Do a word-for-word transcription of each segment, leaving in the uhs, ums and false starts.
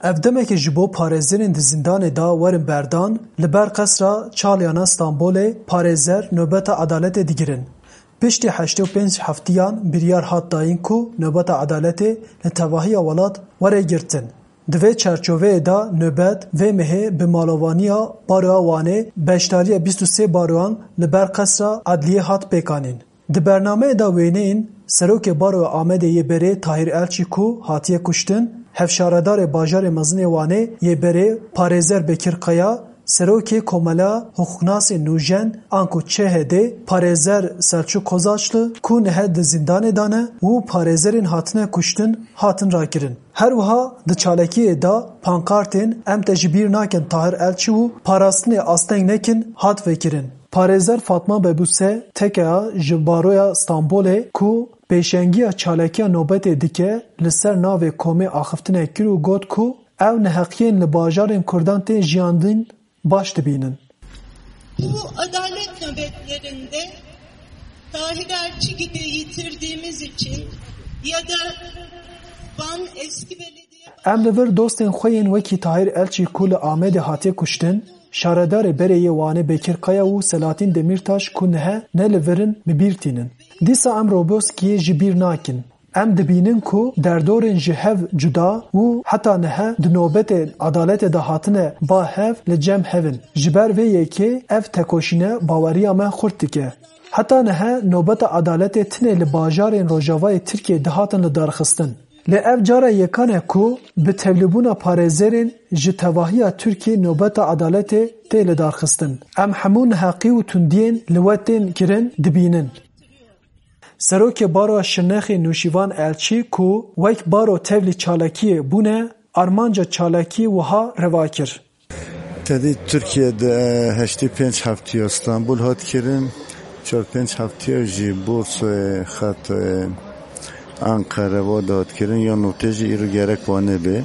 Ev demeke ji bo parêzerên di zîndanê de werin berdan, li ber Qesra Çaliyana Stenbolê parêzer nobeta edaletê digirin. Piştî heştê û pênc heftiyan biryar hat dayîn ku nobeta edaletê li tevahiya welat were girtin. Di vê çarçoveyê de nobet vê mehê bi malovaniya Baroya Wanê beşdariya bîst û sê baroyan li ber Qesra Edliyê hat pêkanîn. Di bernameyê de wêneyên Serokê Baroya Amedê yê berê Tahîr Elçî ku hatiye kuştin, Hevşaredarê Bajarê Mezin ê Wanê yê berê Parêzer Bekir Kaya, Serokê Komela Hiqûqnasên Nûjen anku Ç H D, Parêzer Selçuk Kozaçlı ku nihe di zîndanê de ne û parêzerên hatine kuştin hatin rakirin. Her wiha di çalakiyê de pankartên "Em te ji bîr nakin Tahir Elçî" û "Parastinê asteng nekin" hat vekirin. Parêzer Fatma Bebuse, T K A, ji Baroya Stenbolê ku pêşengiya çalakiya nobetê dike, li ser navê komê axiftinek kir û got ku ew neheqiyên li bajarên Kurdan tên jiyandin baş dibînin. Bu adalet nöbetlerinde Tahir Elçi gibi yitirdiğimiz için ya da Van eski belediye Em li vir dostên xwe yên wekî Tahir Elçî ku li Amedê hatiye kuştin, şaredarê berê yê Wanê Bekir Kaya û Selahattin Demirtaş ku nihe ne li vir in, bi bîr tînin. Dîsa em Roboskiyê ji bîr nakin. Em dibînin ku derdorên ji hev cuda û heta nihe di nobetê edaletê de hatine ba hev li cem hev in. Ji ber vê yekê ev tekoşîne baweriya me xurt dike. Heta nihe nobeta edaletê tinê li bajarên rojavayê Tirkiyê dihatin lidarxistin. Lê ev cara yekan e ku bi tevlîbûna parêzerên ji tevahiya Tirkiyê nobeta edaletê tê lidarxistin. Em hemû neheqî û tundiyên li we tên kirin dibînin. Serokê Baroya Şirnexê Nûşîvan Elçî ku wek baro tevlî çalakiyê bûne, armanca çalakiyê wiha reva kir. Tedî Tirkiye de heştê pênc heftiya Stenbul hat kirin, çar pênc heftiya jî Bursoyê, Xetoyê, Anqere, va de hat kirin, ya notê jî îro gerek wa nebe.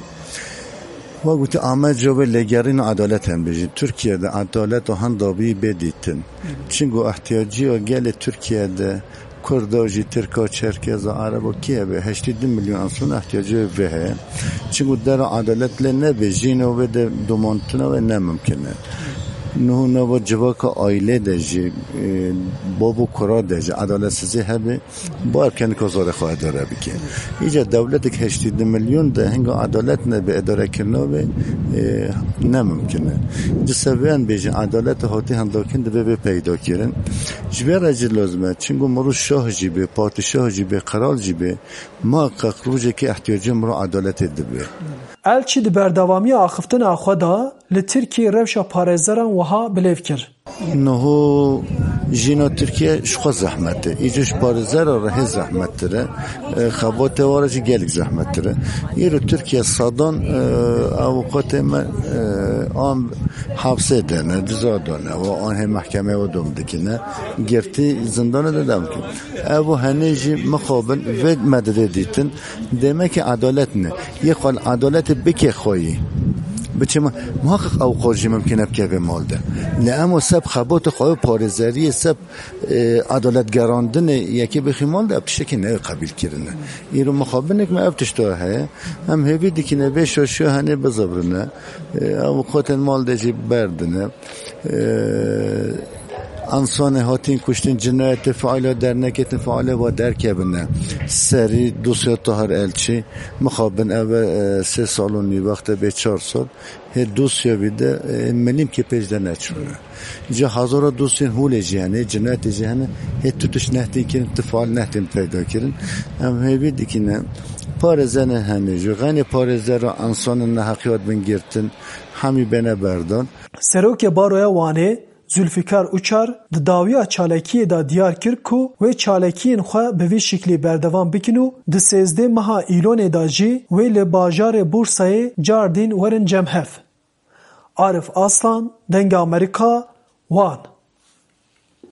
Wa gotî, Amed jo vê lêgerîna edalet hem bijî. Tirkiye de edalet û henda bî bê dîtin. Çingo ihtiyacî ya gelê Tirkiye de Kurda jî, Tirka, Çerkeza, Ereba kî hebe? Heştê du milyon însan ihtiyacê vê heye. Çimkû dera edalet lê nebe, jîna wê de domantina wê ne mimkin e. Niho nava civaka aîlê de jî, e, bab û kura de jî edaletsizî hebe, bar kenika zarê xwe edare bike. Îca dewletek heştê du milyon de hinga edalet nebe, edarekirina wê, e, ne mimkin e. Ji seviyan bêjin, edalet hatî hindakin divê bê peyda kirin. Ji vê re jî lazim e, çimkû mirov şah jî bê, padîşah jî bê, qeral jî bê, muheqeq rojekê ihtiyacê mirov edaletê dibe. Elçî di berdewamiya axiftina xwe de li Tirkiyê rewşa parêzeran wiha bilêv kir. Niho jîna Tirkiye ji xwe zehmet e. Îco ji parêzera re hê zehmettir e. E, xebatê wa re jî gelek zehmettir e. Îro Tirkiye sedan, e, avûkatê me, e, an hepsê de ne, ciza de ne, û an hê mehkemeyê wa dom dikine, girtî zindana de dem dikin. Ev û henê jî mixabin vê me didê dîtin, demekî edalet ne. Yê xwe edaletê bike xweyî. Biçe ma-, muhaqqeq ew qor jî mimkin e bikeve mal de. Lê em o seb xebata xwe, parêzeriyê seb, e, edalet gerandinê yekê bixî mal de, ev tiştekî neyê qebîl kirine. Îro mixabinek me ev tişta heye. Em hêvî dikine vê şaşiya henê bizivirine. E, avûkatên mal de jî berdine. E, însanê hatîn kuştin, cinayetê faîla dernekê tin faîlê va derkevine. Serî dosya Tahir Elçî, mixabin ev e, sê sal û nî wexte bê çar sal. Hê dosya vî de, e, milîmkê pêş de neçûne. Ca hezara dosyên holê jî hene, cinayetê jî hene, hê tu tişt nehtên kirin, tu faîl nehtên peyda kirin. Em hêvî dikine, parêzene hene jî, xeynê parêzera însanên neheqiyat bin girtin, hemî bêne berdan. Serokê Baroya Wanê Zülfikar Uçar di dawiya çalakiyê de diyar kir ku wê çalakiyên xwe bi vî şiklî berdewam bikin û di sêzdeh meha Îlonê de jî wê li bajarê Bursayê cardîn werin cem hev. Arif Aslan, Dengê Amerîka, Wan.